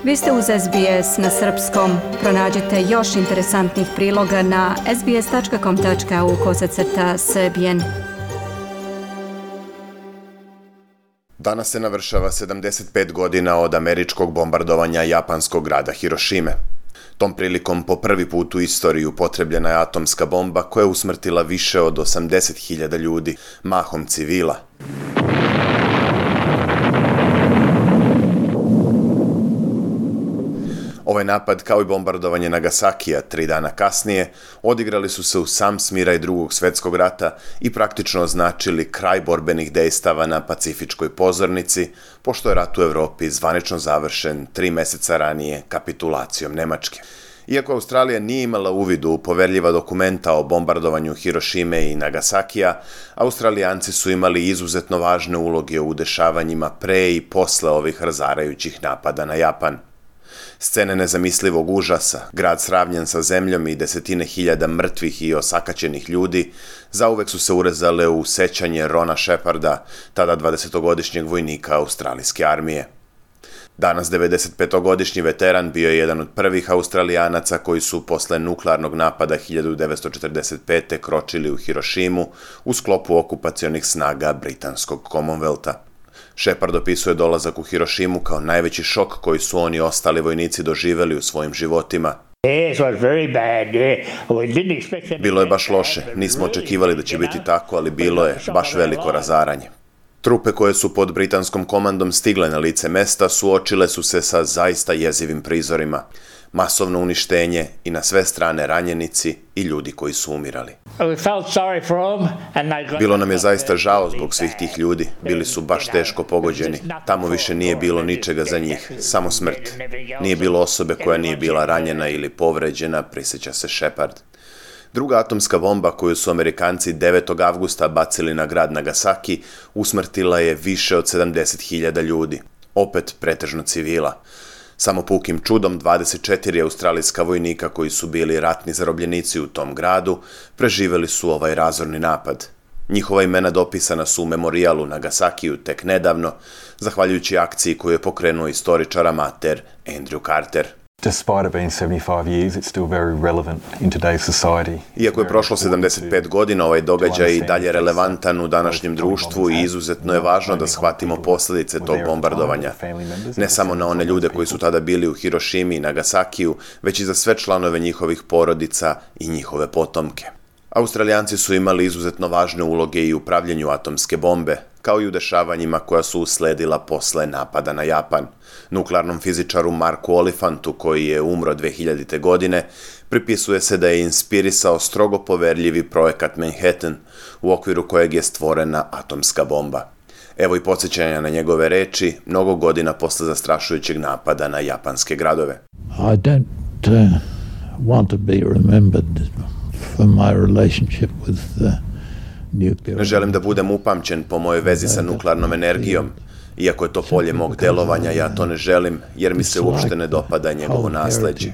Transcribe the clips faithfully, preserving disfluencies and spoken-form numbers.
Vi ste uz S B S na srpskom. Pronađite još interesantnih priloga na sbs.com.au kosacrta srbijen. Danas se navršava sedamdeset pet godina od američkog bombardovanja japanskog grada Hirošime. Tom prilikom po prvi put u istoriji upotrebljena je atomska bomba koja je usmrtila više od osamdeset hiljada ljudi, mahom civila. Ovaj napad, kao i bombardovanje Nagasakija tri dana kasnije, odigrali su se u sam smiraj Drugog svjetskog rata i praktično označili kraj borbenih dejstava na pacifičkoj pozornici, pošto je rat u Evropi zvanično završen tri meseca ranije kapitulacijom Nemačke. Iako Australija nije imala uvid u poverljiva dokumenta o bombardovanju Hirošime i Nagasakija, Australijanci su imali izuzetno važne uloge u dešavanjima pre i posle ovih razarajućih napada na Japan. Scene nezamislivog užasa, grad sravnjen sa zemljom i desetine hiljada mrtvih i osakaćenih ljudi, zauvek su se urezale u sećanje Rona Sheparda, tada dvadesetogodišnjeg vojnika australijske armije. Danas devedesetpetogodišnji veteran bio je jedan od prvih Australijanaca koji su posle nuklearnog napada hiljadu devetsto četrdeset pete. kročili u Hirošimu u sklopu okupacionih snaga britanskog Commonwealtha. Shepard opisuje dolazak u Hirošimu kao najveći šok koji su oni i ostali vojnici doživeli u svojim životima. Bilo je baš loše, nismo očekivali da će biti tako, ali bilo je baš veliko razaranje. Trupe koje su pod britanskom komandom stigle na lice mesta suočile su se sa zaista jezivim prizorima. Masovno uništenje i na sve strane ranjenici i ljudi koji su umirali. Bilo nam je zaista žao zbog svih tih ljudi. Bili su baš teško pogođeni. Tamo više nije bilo ničega za njih, samo smrt. Nije bilo osobe koja nije bila ranjena ili povređena, prisjeća se Shepard. Druga atomska bomba koju su Amerikanci devetog avgusta bacili na grad Nagasaki usmrtila je više od sedamdeset hiljada ljudi, opet pretežno civila. Samo pukim čudom dvadeset četiri australijska vojnika koji su bili ratni zarobljenici u tom gradu preživeli su ovaj razorni napad. Njihova imena dopisana su u memorijalu Nagasakiju tek nedavno, zahvaljujući akciji koju je pokrenuo istoričar amater Andrew Carter. Despite it being seventy-five years, it's still very relevant in today's society. Iako je prošlo sedamdeset pet godina, ovaj događaj i dalje relevantan u današnjem društvu i izuzetno je važno da shvatimo posljedice tog bombardovanja. Ne samo na one ljude koji su tada bili u Hirošimi i Nagasakiju, već i za sve članove njihovih porodica i njihove potomke. Australijanci su imali izuzetno važne uloge i u pravljenju atomske bombe, kao i u dešavanjima koja su usledila posle napada na Japan. Nuklearnom fizičaru Marku Olifantu, koji je umro dve hiljadite. godine, pripisuje se da je inspirisao strogo poverljivi projekat Manhattan, u okviru kojeg je stvorena atomska bomba. Evo i podsjećanja na njegove reči, mnogo godina posle zastrašujućeg napada na japanske gradove. I don't uh, want to be remembered for my relationship with the nuclear. Ne želim da budem upamćen po mojoj vezi sa nuklearnom energijom. Iako je to polje mog delovanja, ja to ne želim, jer mi se uopšte ne dopada njegovo nasleđe.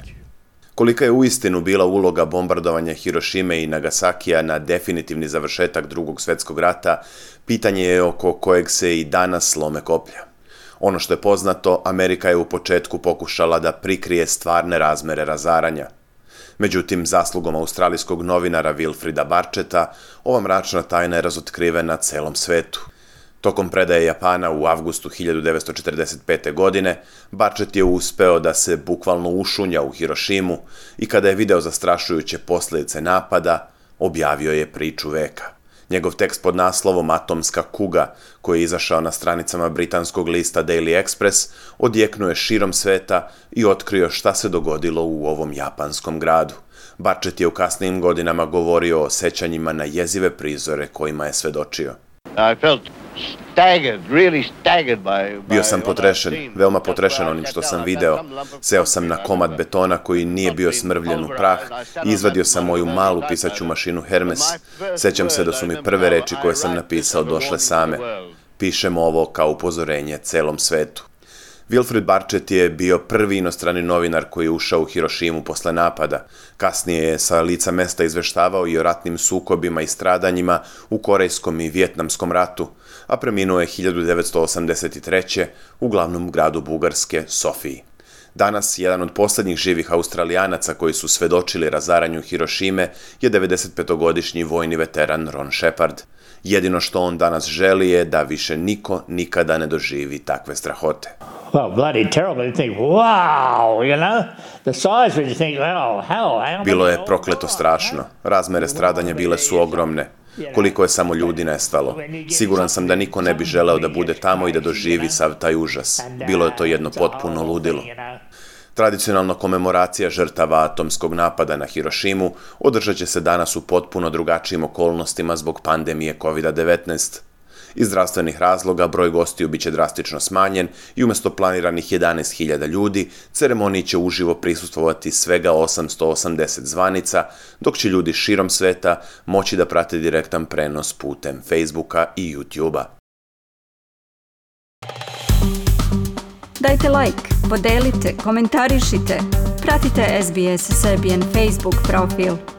Kolika je uistinu bila uloga bombardovanja Hirošime i Nagasakija na definitivni završetak Drugog svjetskog rata, pitanje je oko kojeg se i danas lome koplja. Ono što je poznato, Amerika je u početku pokušala da prikrije stvarne razmere razaranja. Međutim, zaslugom australijskog novinara Wilfrida Barcheta, ova mračna tajna je razotkrivena celom svetu. Tokom predaje Japana u avgustu hiljadu devetsto četrdeset pete. godine, Barchet je uspeo da se bukvalno ušunja u Hirošimu i kada je video zastrašujuće posljedice napada, objavio je priču veka. Njegov tekst pod naslovom Atomska kuga, koji je izašao na stranicama britanskog lista Daily Express, odjeknuo je širom sveta i otkrio šta se dogodilo u ovom japanskom gradu. Barchet je u kasnijim godinama govorio o sećanjima na jezive prizore kojima je svedočio. I felt staggered, really staggered by, by Bio sam potrešen, veoma potrešen onim što sam video. Seo sam na komad betona koji nije bio smrvljen u prah i izvadio sam moju malu pisaću mašinu Hermes. Sećam se da su mi prve reči koje sam napisao došle same. Pišem ovo kao upozorenje celom svetu. Wilfrid Barchet je bio prvi inostrani novinar koji je ušao u Hirošimu posle napada. Kasnije je sa lica mesta izveštavao i o ratnim sukobima i stradanjima u Korejskom i Vijetnamskom ratu, a preminuo je hiljadu devetsto osamdeset treće. u glavnom gradu Bugarske, Sofiji. Danas, jedan od posljednjih živih Australijanaca koji su svedočili razaranju Hirošime je devedesetpetogodišnji vojni veteran Ron Shepard. Jedino što on danas želi je da više niko nikada ne doživi takve strahote. Well, bloody terrible. You think, wow, you know, the size where you think, oh, hell, how Bilo je prokleto strašno. Razmere stradanja bile su ogromne. Koliko je samo ljudi nestalo. Siguran sam da niko ne bi želeo da bude tamo i da doživi sav taj užas. Bilo je to jedno potpuno ludilo. Tradicionalna komemoracija žrtava atomskog napada na Hirošimu održat će se danas u potpuno drugačijim okolnostima zbog pandemije kovid devetnaest. Iz zdravstvenih razloga broj gostiju biće drastično smanjen i umjesto planiranih jedanaest hiljada ljudi, ceremoniji će uživo prisustvovati svega osamsto osamdeset zvanica, dok će ljudi širom sveta moći da prate direktan prenos putem Facebooka i YouTubea. Dajte like, podelite, komentarišite, pratite S B S Serbian Facebook profil.